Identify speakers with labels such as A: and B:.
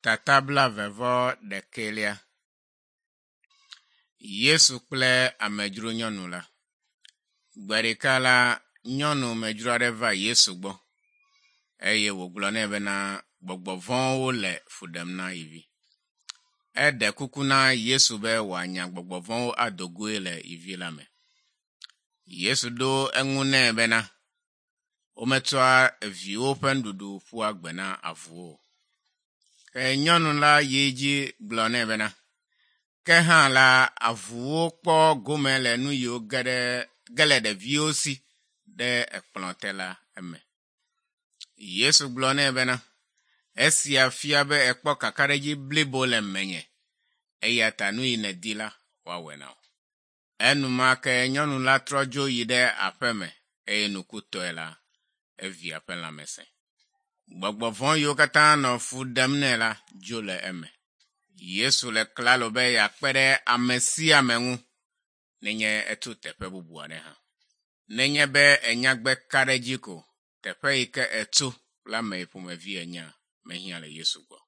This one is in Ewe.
A: Tata blaeve-vɔ-ɖekɛlia. Yesu kple amedzro nyɔnu la. Gbe ɖeka la, nyɔnu medzro aɖe va Yesu gbɔ eye wògblɔ nɛ bena gbɔgbɔ vɔ̃wo le fu ɖem na ye vi. Eɖe kuku na Yesu be wòanya gbɔgbɔ vɔ̃wo ado goe le ye vi la me. Yesu ɖo eŋu nɛ bena wometsɔa viwo ƒe nuɖuɖu ƒua gbe na avuwo o. Ke nyɔnu la yi edzi gblɔ nɛ bena, ke hã la, avuwo kpɔ gome le nu yiwo ge ɖe ge le ɖeviwo si ɖe ekplɔ te la eme. Yesu gblɔ nɛ bena, esia fia be ekpɔ kakaɖedzi blibo le menye eya ta nu yi nèdi la, woawɔe na wò. Enumake nyɔnu la trɔ dzo yi ɖe aƒe me eye nukutɔe la, evia ƒe lãme sẽ. Gbɔgbɔ vɔ̃ yiwo katã nɔ fu ɖem nɛ la dzo le eme. Yesu le klalo be yeakpe ɖe ame sia ame ŋu nenye eto teƒe bubu aɖe hã. Nenye be ènya gbe ka ɖe edzi ko, teƒe yi ke ètso kple ame yi ƒomevi ènyea, mehiã le Yesu gbɔ.